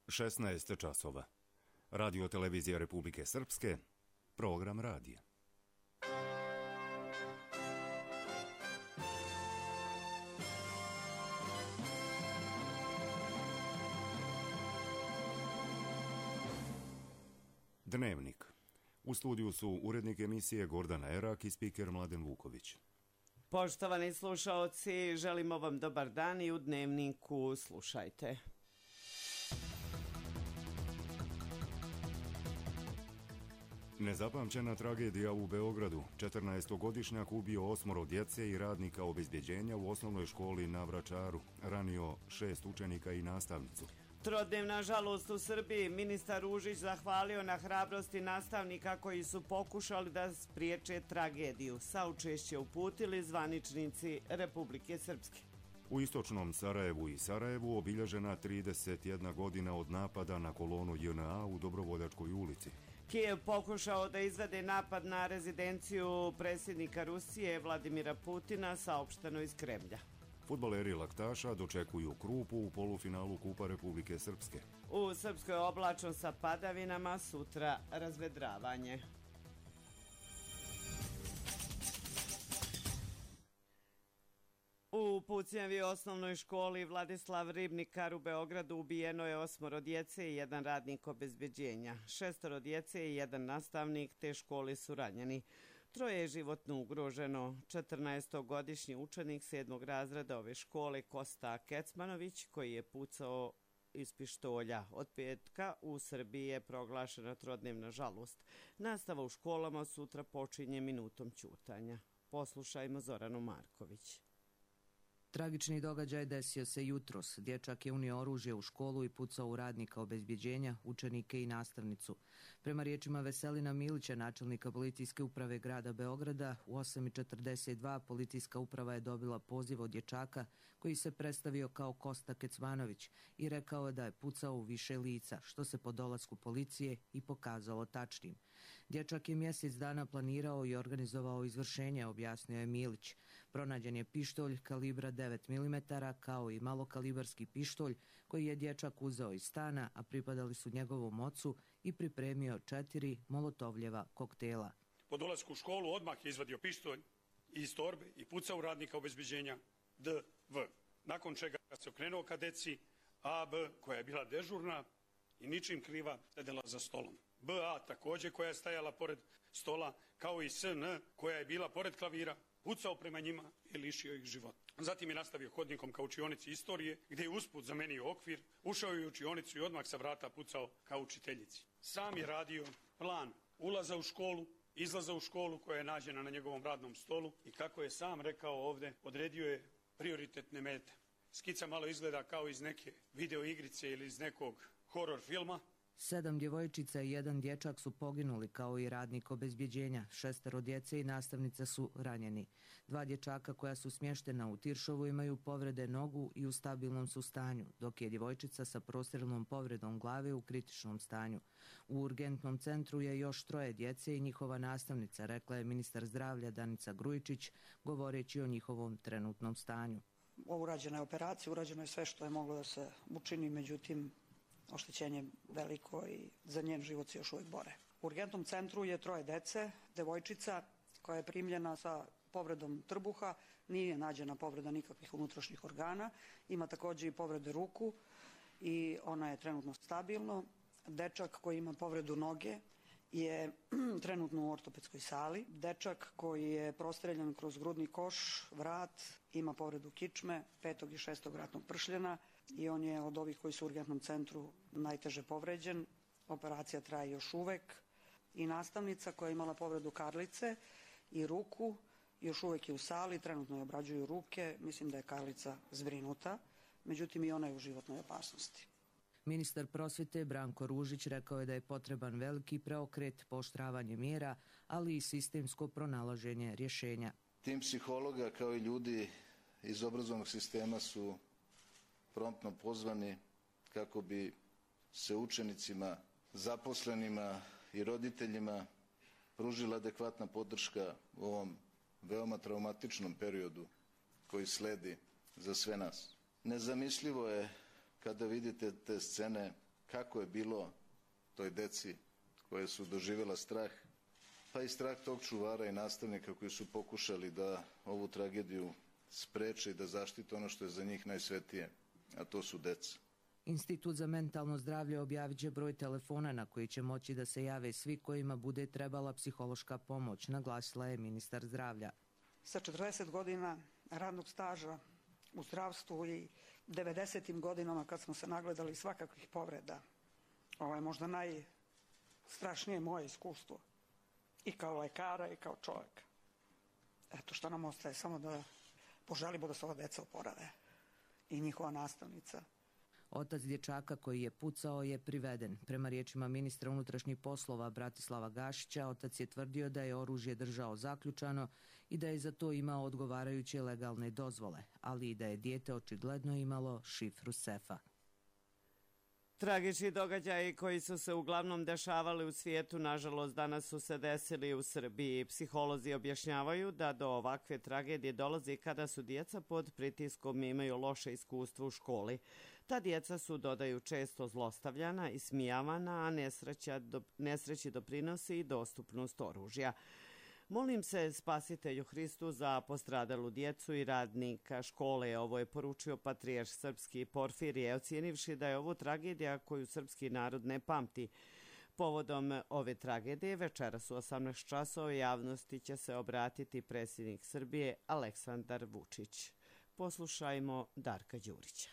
16 časova. Radio televizija Republike Srpske, program radija. Dnevnik. U studiju su urednik emisije Gordana Erak i spiker Mladen Vuković. Poštovani slušaoci, želimo vam dobar dan i u Dnevniku slušajte. Nezapamćena tragedija u Beogradu. 14-godišnjak ubio 8 djece i radnika obezbjeđenja u osnovnoj školi na Vračaru. Ranio 6 učenika i nastavnicu. Trodnevna žalost u Srbiji. Ministar Ružić zahvalio na hrabrosti nastavnika koji su pokušali da spriječe tragediju. Saučešće uputili zvaničnici Republike Srpske. U istočnom Sarajevu i Sarajevu obilježena 31 godina od napada na kolonu JNA u Dobrovoljačkoj ulici. Kijev pokušao da izvede napad na rezidenciju predsjednika Rusije Vladimira Putina, saopšteno iz Kremlja. Fudbaleri Laktaša dočekuju Krupu u polufinalu Kupa Republike Srpske. U Srpskoj oblačno sa padavinama, sutra razvedravanje. U Pucnjavi osnovnoj školi Vladislav Ribnikar u Beogradu ubijeno je 8 djece i 1 radnik obezbjeđenja. 6 djece i 1 nastavnik te škole su ranjeni. 3 je životno ugroženo. 14-godišnji učenik 7. razreda ove škole Kosta Kecmanović, koji je pucao iz pištolja. Od petka u Srbiji je proglašena trodnevna žalost. Nastava u školama sutra počinje minutom ćutanja. Poslušajmo Zoranu Marković. Tragični događaj desio se jutros. Dječak je unio oružje u školu i pucao u radnika obezbjeđenja, učenike i nastavnicu. Prema riječima Veselina Milića, načelnika policijske uprave grada Beograda, u 8:42 policijska uprava je dobila poziv od dječaka koji se predstavio kao Kosta Kecmanović i rekao da je pucao u više lica, što se po dolasku policije i pokazalo tačnim. Dječak je mjesec dana planirao i organizovao izvršenje, objasnio je Milić. Pronađen je pištolj kalibra 9 mm, kao i malokalibarski pištolj koji je dječak uzeo iz stana, a pripadali su njegovom ocu, i pripremio 4 molotovljeva koktela. Po dolasku u školu odmah je izvadio pištolj iz torbe i pucao u radnika obezbjeđenja DV. Nakon čega se okrenuo ka deci AB, koja je bila dežurna i ničim kriva, sedela za stolom. BA također, koja je stajala pored stola, kao i SN, koja je bila pored klavira, pucao prema njima i lišio ih života. Zatim je nastavio hodnikom ka učionici istorije, gdje je usput zamenio okvir, ušao je u učionicu i odmah sa vrata pucao ka učiteljici. Sam je radio plan ulaza u školu, izlaza u školu koja je nađena na njegovom radnom stolu i, kako je sam rekao ovdje, odredio je prioritetne mete. Skica malo izgleda kao iz neke video igrice ili iz nekog horor filma. 7 djevojčica i 1 dječak su poginuli, kao i radnik obezbjeđenja. 6 djece i nastavnica su ranjeni. 2 dječaka koja su smještena u Tiršovu imaju povrede nogu i u stabilnom su stanju, dok je djevojčica sa prostjelnom povredom glave u kritičnom stanju. U urgentnom centru je još 3 djece i njihova nastavnica, rekla je ministar zdravlja Danica Grujičić, govoreći o njihovom trenutnom stanju. Urađena je operacija, urađeno je sve što je moglo da se učini, međutim oštećenje veliko i za njen život se još uvijek bore. U urgentnom centru je 3 djece, devojčica koja je primljena sa povredom trbuha, nije nađena povreda nikakvih unutrašnjih organa, ima također i povrede ruku i ona je trenutno stabilno. Dečak koji ima povredu noge je trenutno u ortopedskoj sali. Dečak koji je prostreljan kroz grudni koš, vrat, ima povredu kičme, 5. i 6. vratnog pršljena i on je od ovih koji su u urgentnom centru najteže povređen. Operacija traje još uvek. I nastavnica koja je imala povredu karlice i ruku još uvek je u sali, trenutno je obrađuju ruke, mislim da je karlica zbrinuta, međutim i ona je u životnoj opasnosti. Ministar prosvjete Branko Ružić rekao je da je potreban veliki preokret, pooštravanje mjera, ali i sistemsko pronalaženje rješenja. Tim psihologa kao i ljudi iz obrazovnog sistema su promptno pozvani kako bi se učenicima, zaposlenima i roditeljima pružila adekvatna podrška u ovom veoma traumatičnom periodu koji sledi za sve nas. Nezamislivo je kada vidite te scene kako je bilo toj deci koje su doživjela strah, pa i strah tog čuvara i nastavnika koji su pokušali da ovu tragediju spreče i da zaštite ono što je za njih najsvetije, a to su deca. Institut za mentalno zdravlje objavit će broj telefona na koji će moći da se jave svi kojima bude trebala psihološka pomoć, naglasila je ministar zdravlja. Sa 40 godina radnog staža u zdravstvu i 90. godinama kad smo se nagledali svakakvih povreda, ovo je možda najstrašnije moje iskustvo i kao lekara i kao čovjeka. Eto što nam ostaje, samo da poželimo da se ova deca oporave i njihova nastavnica. Otac dječaka koji je pucao je priveden. Prema riječima ministra unutrašnjih poslova Bratislava Gašića, otac je tvrdio da je oružje držao zaključano i da je za to imao odgovarajuće legalne dozvole, ali i da je dijete očigledno imalo šifru sefa. Tragični događaji koji su se uglavnom dešavali u svijetu, nažalost, danas su se desili u Srbiji. Psiholozi objašnjavaju da do ovakve tragedije dolazi kada su djeca pod pritiskom i imaju loše iskustvo u školi. Ta djeca su, dodaju, često zlostavljana i smijavana, a nesreći doprinosi i dostupnost oružja. Molim se Spasitelju Hristu za postradalu djecu i radnika škole. Ovo je poručio patrijarh srpski Porfirije, ocijenivši da je ovo tragedija koju srpski narod ne pamti. Povodom ove tragedije večeras u 18 časova javnosti će se obratiti predsjednik Srbije Aleksandar Vučić. Poslušajmo Darka Đurića.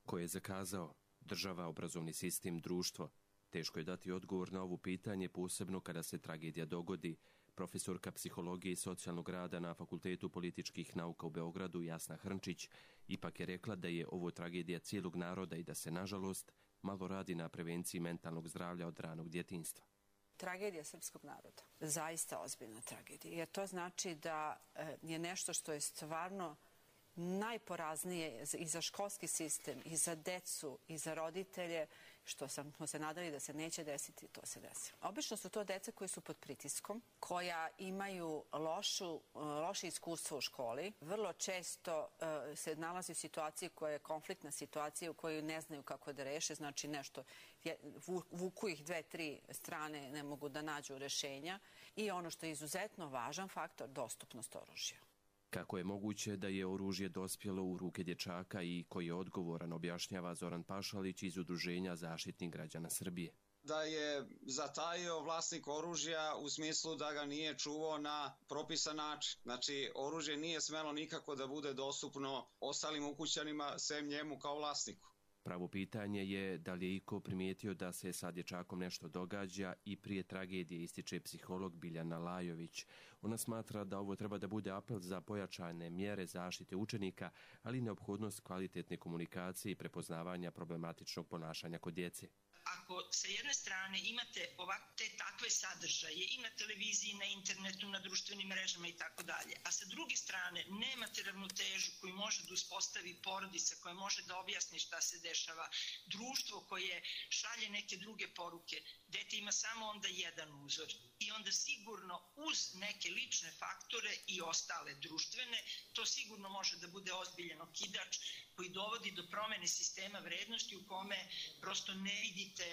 Ko je zakazao? Država, obrazovni sistem, društvo? Teško je dati odgovor na ovo pitanje, posebno kada se tragedija dogodi. Profesorka psihologije i socijalnog rada na Fakultetu političkih nauka u Beogradu Jasna Hrnčić ipak je rekla da je ovo tragedija cijelog naroda i da se, nažalost, malo radi na prevenciji mentalnog zdravlja od ranog djetinjstva. Tragedija srpskog naroda, zaista ozbiljna tragedija, jer to znači da je nešto što je stvarno najporaznije i za školski sistem, i za decu, i za roditelje, što smo se nadali da se neće desiti, to se desilo. Obično su to deca koji su pod pritiskom, koja imaju loše iskustvo u školi. Vrlo često se nalazi u situaciji koja je konfliktna situacija u kojoj ne znaju kako da reše, znači nešto, vuku ih 2-3 strane, ne mogu da nađu rešenja. I ono što je izuzetno važan faktor, dostupnost oružja. Kako je moguće da je oružje dospjelo u ruke dječaka i koji je odgovoran, objašnjava Zoran Pašalić iz Udruženja Zaštitnik građana Srbije. Da je zatajio vlasnik oružja u smislu da ga nije čuvao na propisan način. Znači, oružje nije smelo nikako da bude dostupno ostalim ukućanima, sem njemu kao vlasniku. Pravo pitanje je da li je iko primijetio da se sa dječakom nešto događa i prije tragedije, ističe psiholog Biljana Lajović. Ona smatra da ovo treba da bude apel za pojačane mjere zaštite učenika, ali i neophodnost kvalitetne komunikacije i prepoznavanja problematičnog ponašanja kod djece. Ako sa jedne strane imate te takve sadržaje i na televiziji, na internetu, na društvenim mrežama i tako dalje, a sa druge strane nemate ravnotežu koju može da uspostavi porodica, koja može da objasni šta se dešava, društvo koje šalje neke druge poruke, dete ima samo onda jedan uzor i onda sigurno uz neke lične faktore i ostale društvene, to sigurno može da bude ozbiljan okidač koji dovodi do promene sistema vrednosti u kome prosto ne vidite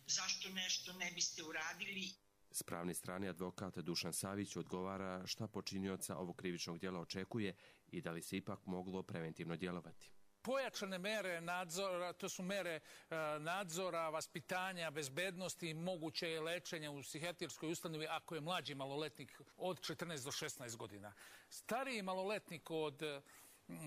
zašto nešto ne biste uradili. S pravne strane advokat Dušan Savić odgovara šta počinioca ovog krivičnog djela očekuje i da li se ipak moglo preventivno djelovati. Pojačane mere nadzora, to su mere nadzora, vaspitanja, bezbednosti i moguće lečenja u psihijatrijskoj ustanovi ako je mlađi maloletnik od 14 do 16 godina. Stariji maloletnik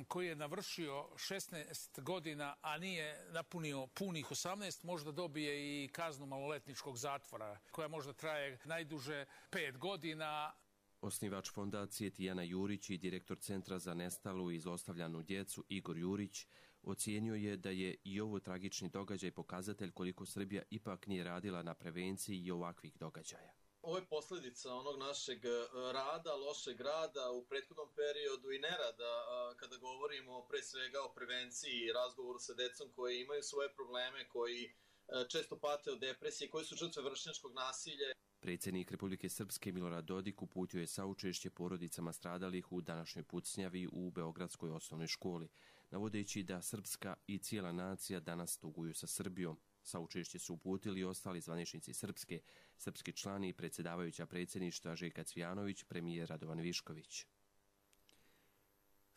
koji je navršio 16 godina, a nije napunio punih 18, možda dobije i kaznu maloletničkog zatvora, koja možda traje najduže 5 godina. Osnivač fondacije Tijana Jurić i direktor Centra za nestalu i zlostavljanu djecu Igor Jurić ocijenio je da je i ovo tragični događaj pokazatelj koliko Srbija ipak nije radila na prevenciji i ovakvih događaja. Ovo je posljedica onog našeg rada, lošeg rada u prethodnom periodu i nerada kada govorimo pre svega o prevenciji i razgovoru sa decom koji imaju svoje probleme, koji često pate od depresije, koji su žrtve vršnjačkog nasilja. Predsjednik Republike Srpske Milorad Dodik uputio je saučešće porodicama stradalih u današnjoj pucnjavi u Beogradskoj osnovnoj školi, navodeći da srpska i cijela nacija danas tuguju sa Srbijom. Saučešće su uputili i ostali zvaničnici Srpske, srpski člani i predsjedavajuća predsjedništva Željka Cvijanović, premijer Radovan Višković.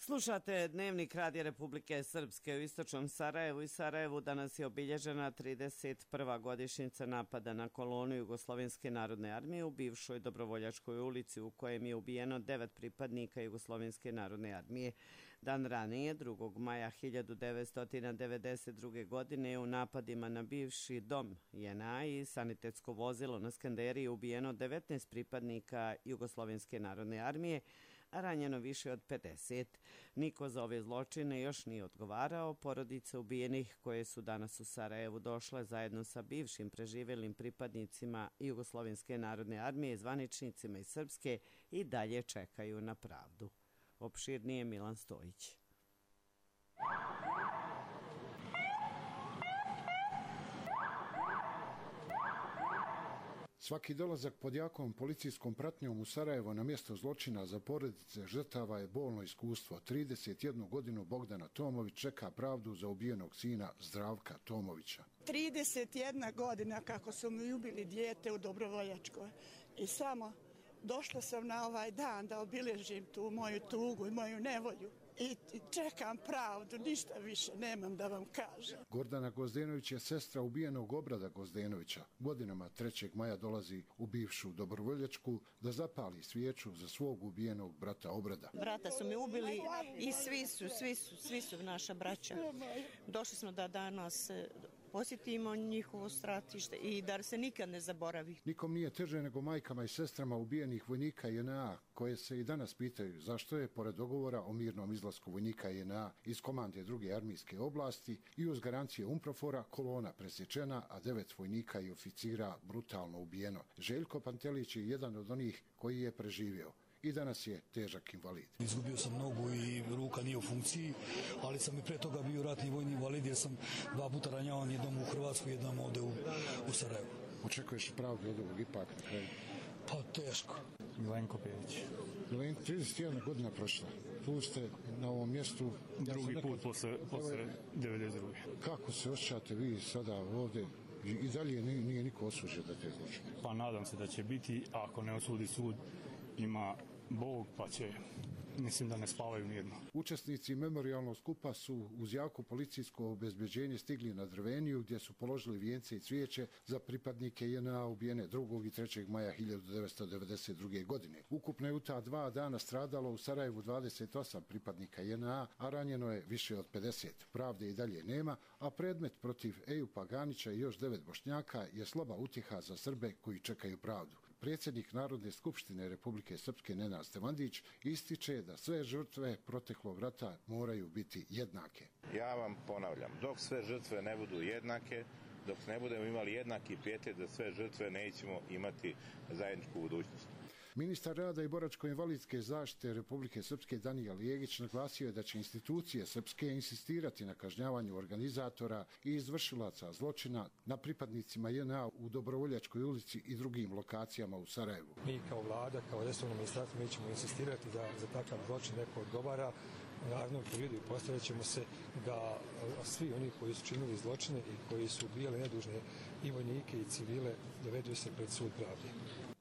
Slušate Dnevnik Radija Republike Srpske. U istočnom Sarajevu i Sarajevu danas je obilježena 31. godišnjica napada na kolonu Jugoslovenske narodne armije u bivšoj Dobrovoljačkoj ulici u kojem je ubijeno 9 pripadnika Jugoslovenske narodne armije. Dan ranije, 2. maja 1992. godine, u napadima na bivši dom JNA i sanitetsko vozilo na Skanderiji je ubijeno 19 pripadnika Jugoslovenske narodne armije, a ranjeno više od 50. Niko za ove zločine još nije odgovarao. Porodice ubijenih koje su danas u Sarajevu došle zajedno sa bivšim preživjelim pripadnicima Jugoslovenske narodne armije, zvaničnicima iz Srpske i dalje čekaju na pravdu. Opširnije Milan Stojić. Svaki dolazak pod jakom policijskom pratnjom u Sarajevo na mjesto zločina za porodice žrtava je bolno iskustvo. 31 godinu Bogdana Tomović čeka pravdu za ubijenog sina Zdravka Tomovića. 31 godina kako su mi ubili dijete u Dobrovoljačkoj i samo došla sam na ovaj dan da obilježim tu moju tugu i moju nevolju. I čekam pravdu, ništa više nemam da vam kažem. Gordana Gozdenović je sestra ubijenog Obrada Gozdenovića. Godinama 3. maja dolazi u bivšu Dobrovoljačku da zapali svijeću za svog ubijenog brata Obrada. Brata su mi ubili i svi su naša braća. Došli smo da danas posjetimo njihovo stratište i da se nikad ne zaboravi. Nikom nije teže nego majkama i sestrama ubijenih vojnika JNA, koje se i danas pitaju zašto je, pored dogovora o mirnom izlasku vojnika JNA iz komande 2. armijske oblasti i uz garancije UNPROFOR-a, kolona presječena, a 9 vojnika i oficira brutalno ubijeno. Željko Pantelić je jedan od onih koji je preživio. I danas je težak invalid. Izgubio sam nogu i ruka nije u funkciji, ali sam i pre toga bio ratni vojni invalid jer sam 2 puta ranjavan, jednom u Hrvatsku, jednom ovdje u Sarajevu. Očekuješ pravdu od ovog ipak na kraju? Pa teško. Milenko Pević. Milenko, 31 godina prošla. Tu ste na ovom mjestu. Drugi put posle 92. Kako se osjećate vi sada ovdje? I dalje nije niko osuđen da te zločine? Pa nadam se da će biti, ako ne osudi sud, ima Bog, pa će, mislim da ne spavaju nijedno. Učesnici memorijalnog skupa su uz jako policijsko obezbeđenje stigli na Drveniju, gdje su položili vijence i cvijeće za pripadnike JNA ubijene 2. i 3. maja 1992. godine. Ukupno je u ta 2 dana stradalo u Sarajevu 28 pripadnika JNA, a ranjeno je više od 50. Pravde i dalje nema, a predmet protiv Ejupa Ganića i još 9 Bošnjaka je slaba utjeha za Srbe koji čekaju pravdu. Predsjednik Narodne skupštine Republike Srpske Nenad Stevandić ističe da sve žrtve proteklog rata moraju biti jednake. Ja vam ponavljam, dok sve žrtve ne budu jednake, dok ne budemo imali jednaki pijetet za sve žrtve, nećemo imati zajedničku budućnost. Ministar rada i boračko-invalidske zaštite Republike Srpske Danijel Jegić naglasio je da će institucije srpske insistirati na kažnjavanju organizatora i izvršilaca zločina na pripadnicima JNA u Dobrovoljačkoj ulici i drugim lokacijama u Sarajevu. Mi kao vlada, kao resorno ministarstvo, mi ćemo insistirati da za takav zločin neko odgovara. U narednom periodu postavit ćemo se da svi oni koji su činili zločine i koji su ubijali nedužne i vojnike i civile dovedu se pred sud pravde.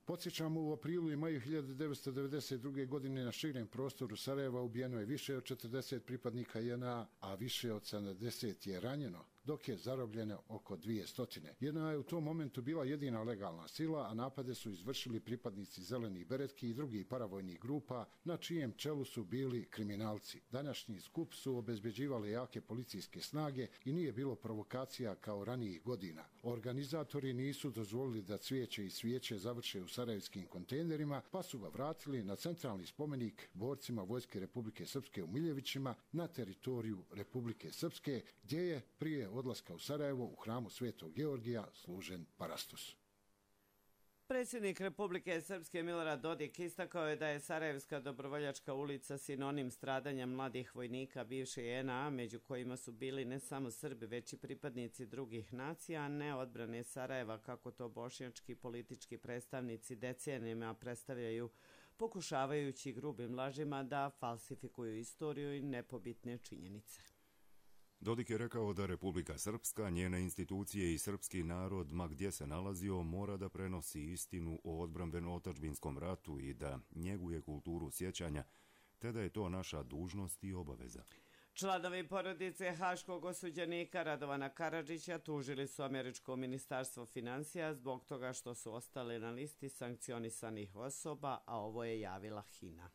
Podsjećamo, u aprilu i maju 1992. godine na širem prostoru Sarajeva ubijeno je više od 40 pripadnika JNA, a više od 70 je ranjeno, dok je zarobljeno oko 200. JNA je u tom momentu bila jedina legalna sila, a napade su izvršili pripadnici zelenih beretki i drugih paravojnih grupa, na čijem čelu su bili kriminalci. Današnji skup su obezbeđivali jake policijske snage i nije bilo provokacija kao ranijih godina. Organizatori nisu dozvolili da cvijeće i svijeće završe u sarajevskim kontejnerima, pa su ga vratili na centralni spomenik borcima Vojske Republike Srpske u Miljevićima na teritoriju Republike Srpske, gdje je prije odlaska u Sarajevo u hramu Svetog Georgija služen parastos. Predsjednik Republike Srpske Milorad Dodik istakao je da je Sarajevska Dobrovoljačka ulica sinonim stradanja mladih vojnika bivše JNA, među kojima su bili ne samo Srbi, već i pripadnici drugih nacija, a ne odbrane Sarajeva, kako to bošnjački politički predstavnici decenijama predstavljaju, pokušavajući grubim lažima da falsifikuju istoriju i nepobitne činjenice. Dodik je rekao da Republika Srpska, njene institucije i srpski narod, ma gdje se nalazio, mora da prenosi istinu o odbrambeno-otadžbinskom ratu i da njeguje kulturu sjećanja, te da je to naša dužnost i obaveza. Članovi porodice haškog osuđenika Radovana Karadžića tužili su američko ministarstvo financija zbog toga što su ostali na listi sankcionisanih osoba, a ovo je javila HINA.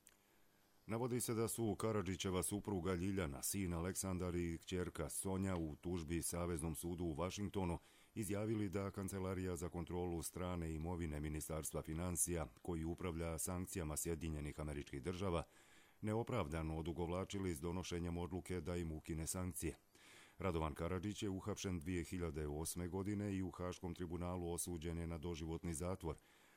Navodi se da su Karadžićeva supruga Ljiljana, sin Aleksandar i kćerka Sonja u tužbi Saveznom sudu u Vašingtonu izjavili da Kancelarija za kontrolu strane imovine Ministarstva financija, koji upravlja sankcijama Sjedinjenih Američkih Država, neopravdano odugovlačili s donošenjem odluke da im ukine sankcije. Radovan Karadžić je uhapšen 2008. godine i u Haškom tribunalu osuđen je na doživotni zatvor,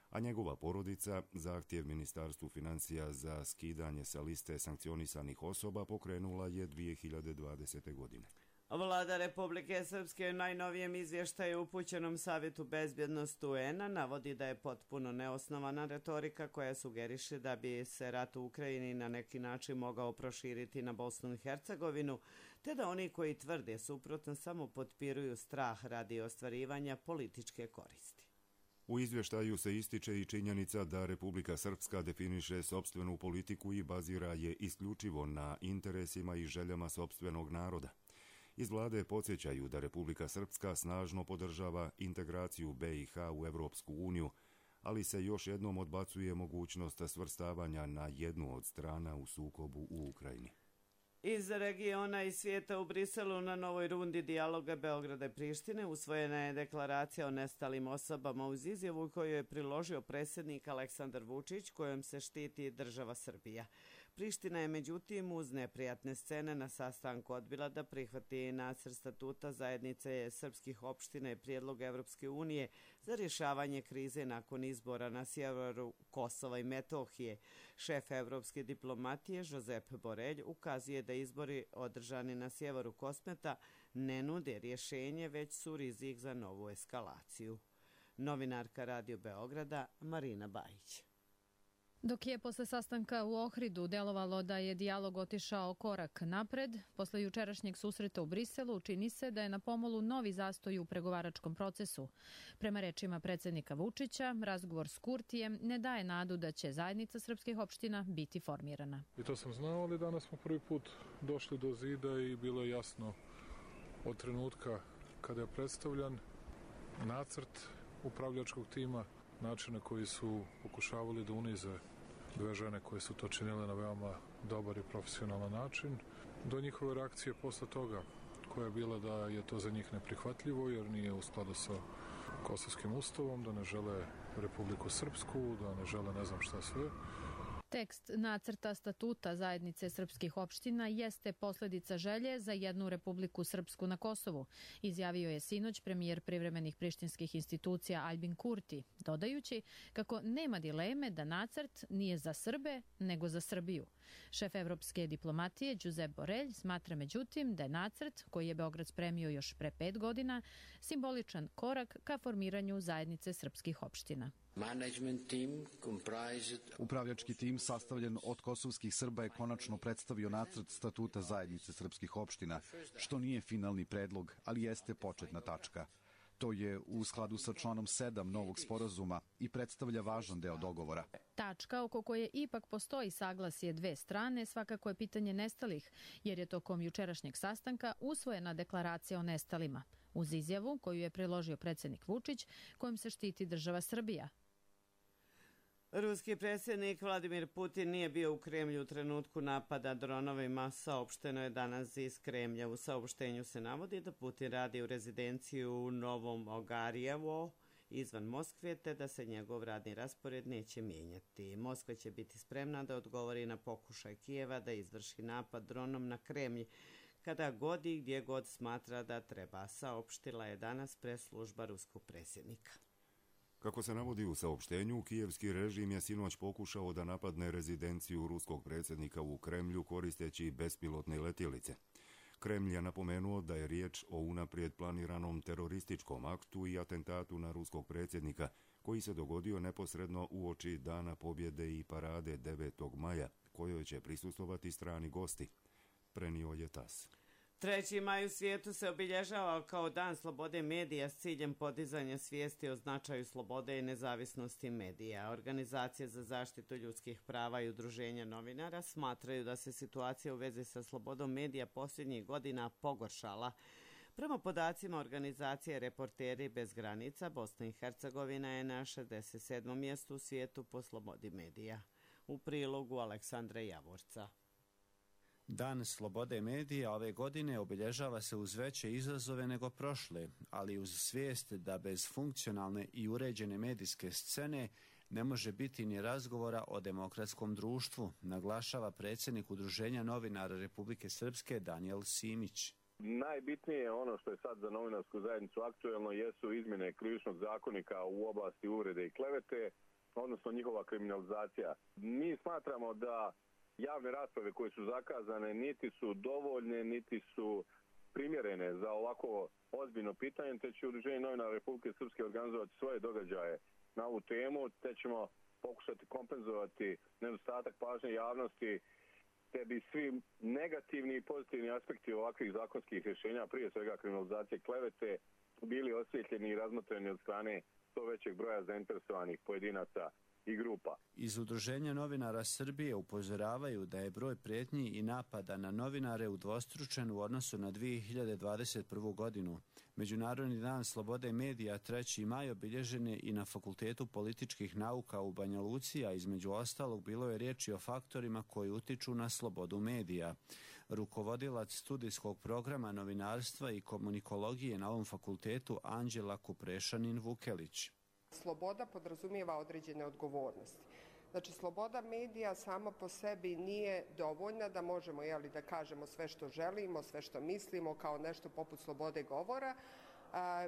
a njegova porodica zahtjev Ministarstvu financija za skidanje sa liste sankcionisanih osoba pokrenula je 2020. godine. Vlada Republike Srpske u najnovijem izvještaju upućenom Savjetu bezbjednosti UN-a navodi da je potpuno neosnovana retorika koja sugeriše da bi se rat u Ukrajini na neki način mogao proširiti na Bosnu i Hercegovinu, te da oni koji tvrde suprotno samo potpiruju strah radi ostvarivanja političke koristi. U izvještaju se ističe i činjenica da Republika Srpska definiše sopstvenu politiku i bazira je isključivo na interesima i željama sopstvenog naroda. Iz vlade podsjećaju da Republika Srpska snažno podržava integraciju BiH u Evropsku uniju, ali se još jednom odbacuje mogućnost svrstavanja na jednu od strana u sukobu u Ukrajini. Iz regiona i svijeta u Briselu na novoj rundi dijaloga Beograda i Prištine usvojena je deklaracija o nestalim osobama uz izjavu koju je priložio predsjednik Aleksandar Vučić, kojom se štiti država Srbija. Priština je međutim uz neprijatne scene na sastanku odbila da prihvati nacrt statuta zajednice srpskih opština i prijedlog Evropske unije za rješavanje krize nakon izbora na sjeveru Kosova i Metohije. Šef evropske diplomatije Josep Borelj ukazuje da izbori održani na sjeveru Kosmeta ne nude rješenje, već su rizik za novu eskalaciju. Novinarka Radio Beograda Marina Bajić. Dok je posle sastanka u Ohridu delovalo da je dijalog otišao korak napred, posle jučerašnjeg susreta u Briselu čini se da je na pomolu novi zastoj u pregovaračkom procesu. Prema rečima predsjednika Vučića, razgovor s Kurtijem ne daje nadu da će zajednica srpskih opština biti formirana. I to sam znao, ali danas smo prvi put došli do zida i bilo je jasno od trenutka kada je predstavljan nacrt upravljačkog tima, način na koji su pokušavali da unize dve žene koje su to činile na veoma dobar i profesionalan način, do njihove reakcije posle toga, koja je bila da je to za njih neprihvatljivo jer nije u skladu sa Kosovskim ustavom, da ne žele Republiku Srpsku, da ne žele ne znam šta sve. Tekst nacrta statuta zajednice srpskih opština jeste posljedica želje za jednu Republiku Srpsku na Kosovu, izjavio je sinoć premijer privremenih prištinskih institucija Aljbin Kurti, dodajući kako nema dileme da nacrt nije za Srbe, nego za Srbiju. Šef evropske diplomatije Josep Borelj smatra međutim da je nacrt, koji je Beograd spremio još pre 5 godina, simboličan korak ka formiranju zajednice srpskih opština. Upravljački tim sastavljen od kosovskih Srba je konačno predstavio nacrt statuta zajednice srpskih opština, što nije finalni predlog, ali jeste početna tačka. To je u skladu sa članom 7 novog sporazuma i predstavlja važan deo dogovora. Tačka oko koje ipak postoji saglasje dve strane svakako je pitanje nestalih, jer je tokom jučerašnjeg sastanka usvojena deklaracija o nestalima, uz izjavu koju je priložio predsjednik Vučić, kojom se štiti država Srbija. Ruski predsjednik Vladimir Putin nije bio u Kremlju u trenutku napada dronovima, saopšteno je danas iz Kremlja. U saopštenju se navodi da Putin radi u rezidenciji u Novom Ogarijevo izvan Moskve, te da se njegov radni raspored neće mijenjati. Moskva će biti spremna da odgovori na pokušaj Kijeva da izvrši napad dronom na Kremlj kada god i gdje god smatra da treba, saopštila je danas press-služba ruskog predsjednika. Kako se navodi u saopštenju, kijevski režim je sinoć pokušao da napadne rezidenciju ruskog predsjednika u Kremlju koristeći bespilotne letjelice. Kremlj je napomenuo da je riječ o unaprijed planiranom terorističkom aktu i atentatu na ruskog predsjednika, koji se dogodio neposredno uoči Dana pobjede i parade 9. maja, kojoj će prisustvovati strani gosti, prenio je TAS. 3. maj u svijetu se obilježava kao Dan slobode medija s ciljem podizanja svijesti o značaju slobode i nezavisnosti medija. Organizacije za zaštitu ljudskih prava i udruženja novinara smatraju da se situacija u vezi sa slobodom medija posljednjih godina pogoršala. Prema podacima organizacije Reporteri bez granica, Bosna i Hercegovina je na 67. mjestu u svijetu po slobodi medija. U prilogu Aleksandra Javorca. Dan slobode medija ove godine obilježava se uz veće izazove nego prošle, ali uz svijest da bez funkcionalne i uređene medijske scene ne može biti ni razgovora o demokratskom društvu, naglašava predsjednik Udruženja novinara Republike Srpske Danijel Simić. Najbitnije ono što je sad za novinarsku zajednicu aktuelno jesu izmjene krivičnog zakonika u oblasti uvrede i klevete, odnosno njihova kriminalizacija. Mi smatramo da javne rasprave koje su zakazane niti su dovoljne, niti su primjerene za ovako ozbiljno pitanje, te će Udruženje novinara Republike Srpske organizovati svoje događaje na ovu temu, te ćemo pokušati kompenzovati nedostatak pažnje javnosti, te bi svi negativni i pozitivni aspekti ovakvih zakonskih rješenja, prije svega kriminalizacije klevete, bili osvjetljeni i razmotreni od strane što većeg broja zainteresovanih pojedinaca i grupa. Iz Udruženja novinara Srbije upozoravaju da je broj prijetnji i napada na novinare udvostručen u odnosu na 2021. godinu. Međunarodni dan slobode medija 3. maj obilježen je i na Fakultetu političkih nauka u Banja Luci, a između ostalog bilo je riječi o faktorima koji utiču na slobodu medija. Rukovodilac studijskog programa novinarstva i komunikologije na ovom fakultetu Anđela Kuprešanin-Vukelić. Sloboda podrazumijeva određene odgovornosti. Znači, sloboda medija sama po sebi nije dovoljna da možemo da kažemo sve što želimo, sve što mislimo kao nešto poput slobode govora,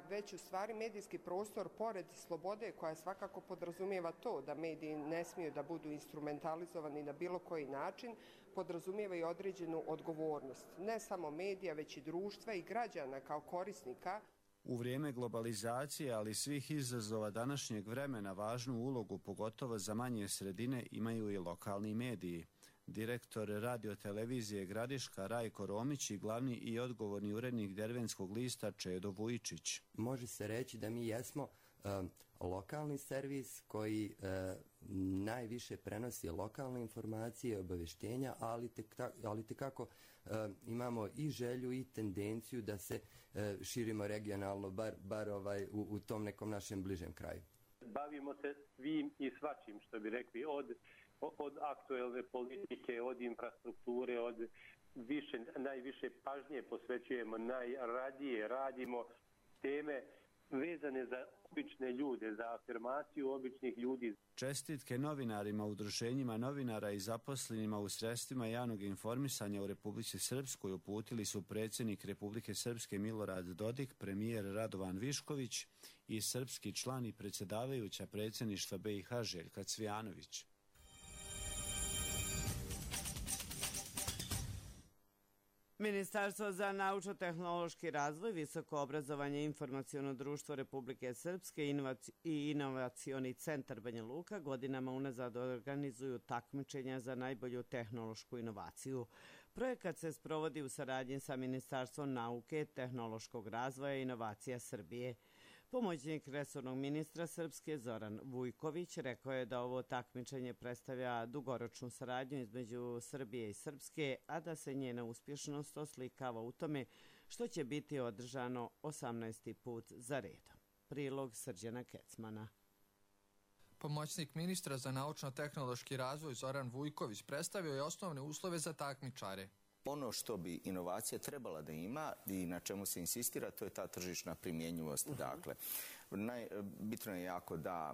već u stvari medijski prostor pored slobode koja svakako podrazumijeva to da mediji ne smiju da budu instrumentalizovani na bilo koji način, podrazumijeva i određenu odgovornost. Ne samo medija, već i društva i građana kao korisnika. U vrijeme globalizacije, ali svih izazova današnjeg vremena, važnu ulogu, pogotovo za manje sredine, imaju i lokalni mediji. Direktor radiotelevizije Gradiška Rajko Romić i glavni i odgovorni urednik Dervenskog lista Čedo Vujičić. Može se reći da mi jesmo lokalni servis koji najviše prenosi lokalne informacije i obavještenja, ali tekako imamo i želju i tendenciju da se širimo regionalno, bar u tom nekom našem bližem kraju. Bavimo se svim i svačim, što bi rekli, od aktuelne politike, od infrastrukture, od najviše pažnje posvećujemo, najradije radimo teme vezane za obične ljude, za afirmaciju običnih ljudi. Čestitke novinarima, udruženjima novinara i zaposlenima u sredstvima javnog informisanja u Republici Srpskoj uputili su predsjednik Republike Srpske Milorad Dodik, premijer Radovan Višković i srpski član i predsjedavajuća predsjedništva BiH Željka Cvijanović. Ministarstvo za naučno-tehnološki razvoj, visoko obrazovanje i informaciono društvo Republike Srpske i inovacioni centar Banja Luka godinama unazad organizuju takmičenja za najbolju tehnološku inovaciju. Projekat se sprovodi u saradnji sa Ministarstvom nauke, tehnološkog razvoja i inovacija Srbije. Pomoćnik resornog ministra Srpske Zoran Vujković rekao je da ovo takmičenje predstavlja dugoročnu saradnju između Srbije i Srpske, a da se njena uspješnost oslikava u tome što će biti održano 18. put za redom. Prilog Srđana Kecmana. Pomoćnik ministra za naučno-tehnološki razvoj Zoran Vujković predstavio je osnovne uslove za takmičare. Ono što bi inovacija trebala da ima i na čemu se insistira, to je ta tržišna primjenjivost. Dakle, bitno je jako da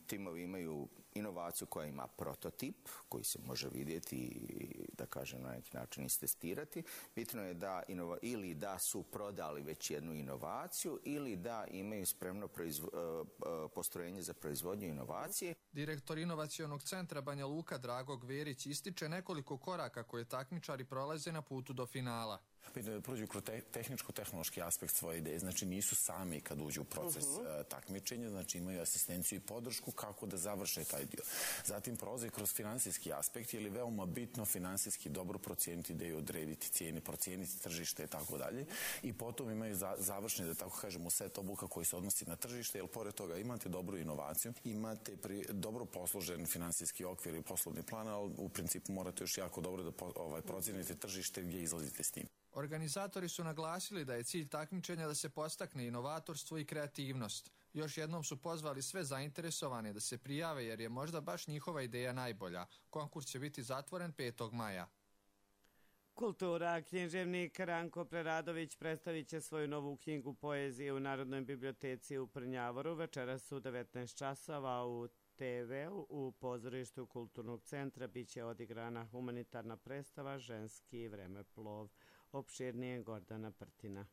timovi imaju inovaciju koja ima prototip, koji se može vidjeti i da kažem na neki način istestirati. Bitno je da ili da su prodali već jednu inovaciju ili da imaju spremno postrojenje za proizvodnju inovacije. Direktor inovacionog centra Banja Luka Drago Gverić ističe nekoliko koraka koje takmičari prolaze na putu do finala. Bitno je da prođu kroz tehničko-tehnološki aspekt svoje ideje, znači nisu sami kad uđu u proces takmičenja, znači imaju asistenciju i podršku kako da završe taj ovaj dio. Zatim prolazi kroz finansijski aspekt, jer je veoma bitno finansijski dobro procijeniti ideju, odrediti cijene, procijeniti tržište i tako dalje. I potom imaju završni, da tako kažemo, set obuka koji se odnosi na tržište, jer pored toga imate dobru inovaciju, imate dobro posložen finansijski okvir i poslovni plan, ali u principu morate još jako dobro da procijenite tržište gdje izlazite s tim. Organizatori su naglasili da je cilj takmičenja da se podstakne inovatorstvo i kreativnost. Još jednom su pozvali sve zainteresovane da se prijave jer je možda baš njihova ideja najbolja. Konkurs će biti zatvoren 5. maja. Kultura. Književnik Ranko Preradović predstavit će svoju novu knjigu poezije u Narodnoj biblioteci u Prnjavoru večeras u 19 časova u TV-u. U pozorištu Kulturnog centra biće odigrana humanitarna predstava Ženski vremeplov. Opširnije Gordana Prtina.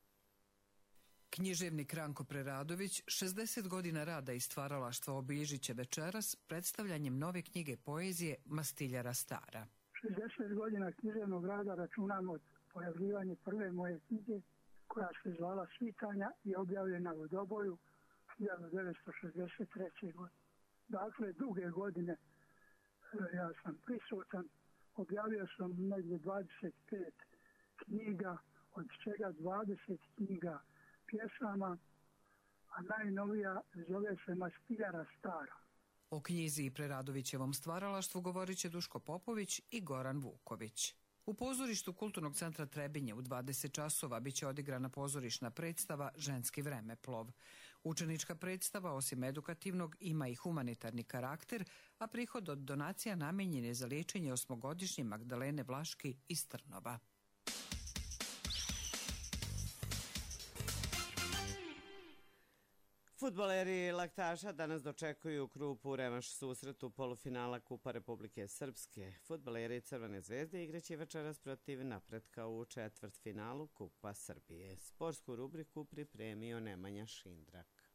Književnik Ranko Preradović 60 godina rada i stvaralaštva obilježit će večeras predstavljanjem nove knjige poezije Mastiljara stara. 60 godina književnog rada računam od pojavljivanja prve moje knjige koja se zvala Svitanja i objavljena u Doboju 1963. godine. Dakle, duge godine ja sam prisutan. Objavio sam negdje 25 knjiga, od čega 20 knjiga pjesama, a najnovija zove se Mastiljara stara. O knjizi i Preradovićevom stvaralaštvu govorit će Duško Popović i Goran Vuković. U pozorištu Kulturnog centra Trebinje u 20 časova biće odigrana pozorišna predstava Ženski vremeplov. Učenička predstava, osim edukativnog, ima i humanitarni karakter, a prihod od donacija namenjen je za liječenje 8-godišnje Magdalene Vlaški iz Trnova. Fudbaleri Laktaša danas dočekuju Krupu revanš susretu polufinala Kupa Republike Srpske. Fudbaleri Crvene zvezde igraće večeras protiv Napretka u četvrtfinalu Kupa Srbije. Sportsku rubriku pripremio Nemanja Šindrak.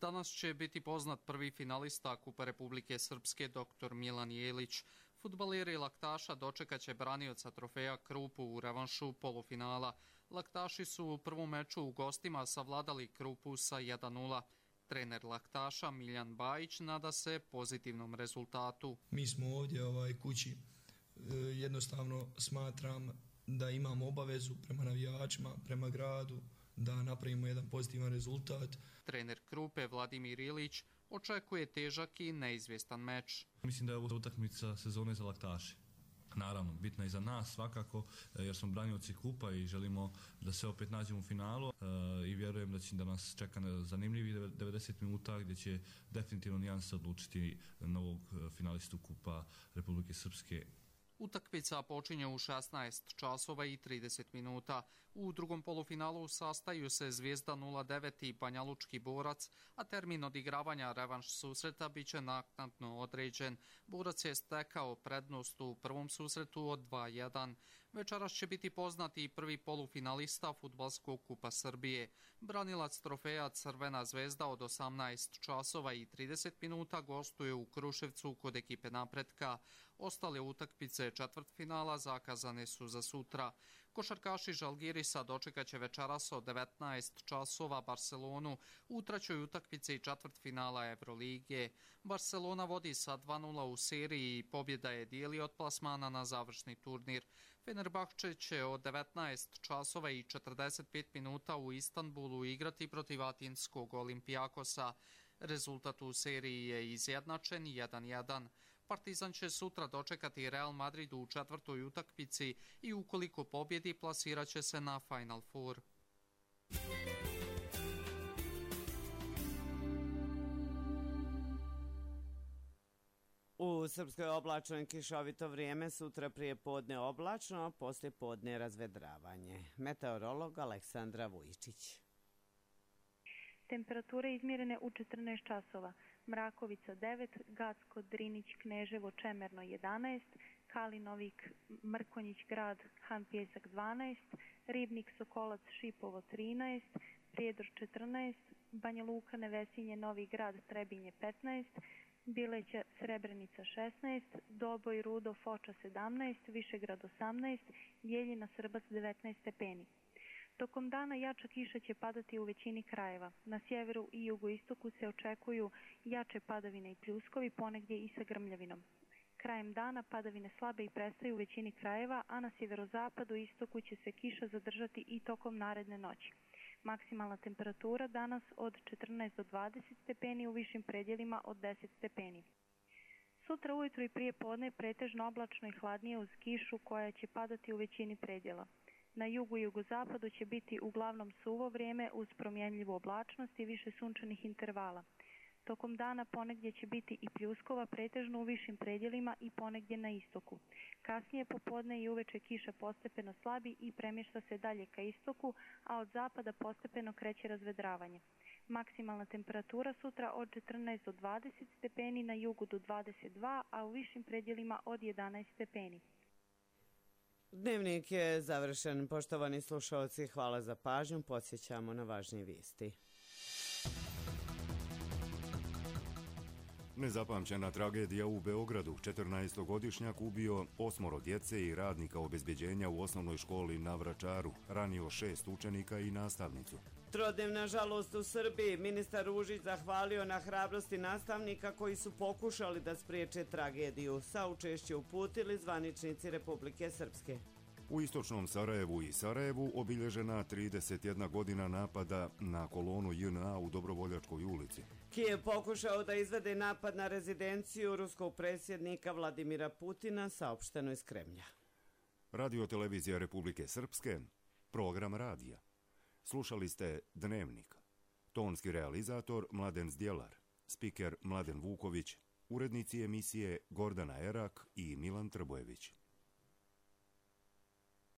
Danas će biti poznat prvi finalista Kupa Republike Srpske dr. Milan Jelić. Fudbaleri Laktaša dočekaće branioca trofeja Krupu u revanšu polufinala. Laktaši su u prvom meču u gostima savladali Krupu sa 1:0. Trener Laktaša Miljan Bajić nada se pozitivnom rezultatu. Mi smo ovdje kući, jednostavno smatram da imamo obavezu prema navijačima, prema gradu, da napravimo jedan pozitivan rezultat. Trener Krupe Vladimir Ilić očekuje težak i neizvjestan meč. Mislim da je ovo utakmica sezone za Laktaše. Naravno, bitna je i za nas svakako, jer smo branioci kupa i želimo da se opet nađemo u finalu i vjerujem da nas čeka zanimljivi 90 minuta gdje će definitivno nijansa odlučiti novog finalistu Kupa Republike Srpske. Utakmica počinje u 16 časova i 30 minuta. U drugom polufinalu sastaju se Zvijezda 09 i Banjalučki Borac, a termin odigravanja revanš susreta biće naknadno određen. Borac je stekao prednost u prvom susretu od 2:1. Večeras će biti poznati i prvi polufinalista Fudbalskog Kupa Srbije. Branilac trofeja Crvena zvezda od 18 časova i 30 minuta gostuje u Kruševcu kod ekipe Napretka. Ostale utakmice četvrtfinala zakazane su za sutra. Košarkaši Žalgirisa dočekaće večeras od 19 časova Barcelonu u trećoj utakmici četvrtfinala Evrolige. Barcelona vodi sa 2:0 u seriji i pobjeda je dijeli od plasmana na završni turnir. Fenerbahče će od 19 časova i 45 minuta u Istanbulu igrati protiv Atinskog Olimpijakosa. Rezultat u seriji je izjednačen 1:1. Partizan će sutra dočekati Real Madrid u četvrtoj utakmici i ukoliko pobjedi plasirat će se na Final Four. U Srpskoj oblačno i kišovito vrijeme, sutra prije podne oblačno, poslije podne razvedravanje. Meteorolog Aleksandra Vujičić. Temperature izmjerene u 14 časova. Mrakovica 9, Gacko, Drinić, Kneževo, Čemerno 11, Kalinovik, Mrkonjić grad, Han Pjesak 12, Ribnik, Sokolac, Šipovo 13, Prijedor 14, Banja Luka, Nevesinje, Novi grad, Trebinje 15, Bileća, Srebrenica 16, Doboj, Rudo, Foča 17, Višegrad 18, Jeljina, Srbac 19 stepeni. Tokom dana jača kiša će padati u većini krajeva. Na sjeveru i jugoistoku se očekuju jače padavine i pljuskovi, ponegdje i sa grmljavinom. Krajem dana padavine slabe i prestaju u većini krajeva, a na sjeverozapadu i istoku će se kiša zadržati i tokom naredne noći. Maksimalna temperatura danas od 14 do 20 stepeni, u višim predjelima od 10 stepeni. Sutra ujutro i prije podne pretežno oblačno i hladnije uz kišu koja će padati u većini predjela. Na jugu i jugozapadu će biti uglavnom suvo vrijeme uz promjenljivu oblačnost i više sunčanih intervala. Tokom dana ponegdje će biti i pljuskova, pretežno u višim predjelima i ponegdje na istoku. Kasnije popodne i uveče kiša postepeno slabi i premješta se dalje ka istoku, a od zapada postepeno kreće razvedravanje. Maksimalna temperatura sutra od 14 do 20 stepeni, na jugu do 22, a u višim predjelima od 11 stepeni. Dnevnik je završen. Poštovani slušalci, hvala za pažnju. Podsjećamo na važnije vijesti. Nezapamćena tragedija u Beogradu. 14-godišnjak ubio 8 djece i radnika obezbeđenja u osnovnoj školi na Vračaru. Ranio 6 učenika i nastavnicu. Trodnevna žalost u Srbiji. Ministar Ružić zahvalio na hrabrosti nastavnika koji su pokušali da spriječe tragediju. Saučešće uputili zvaničnici Republike Srpske. U istočnom Sarajevu i Sarajevu obilježena 31 godina napada na kolonu JNA u Dobrovoljačkoj ulici. Kijev pokušao da izvede napad na rezidenciju ruskog predsjednika Vladimira Putina, saopšteno iz Kremlja. Radio-televizija Republike Srpske, program radija. Slušali ste Dnevnik. Tonski realizator Mladen Zdjelar, spiker Mladen Vuković, urednici emisije Gordana Erak i Milan Trbojević.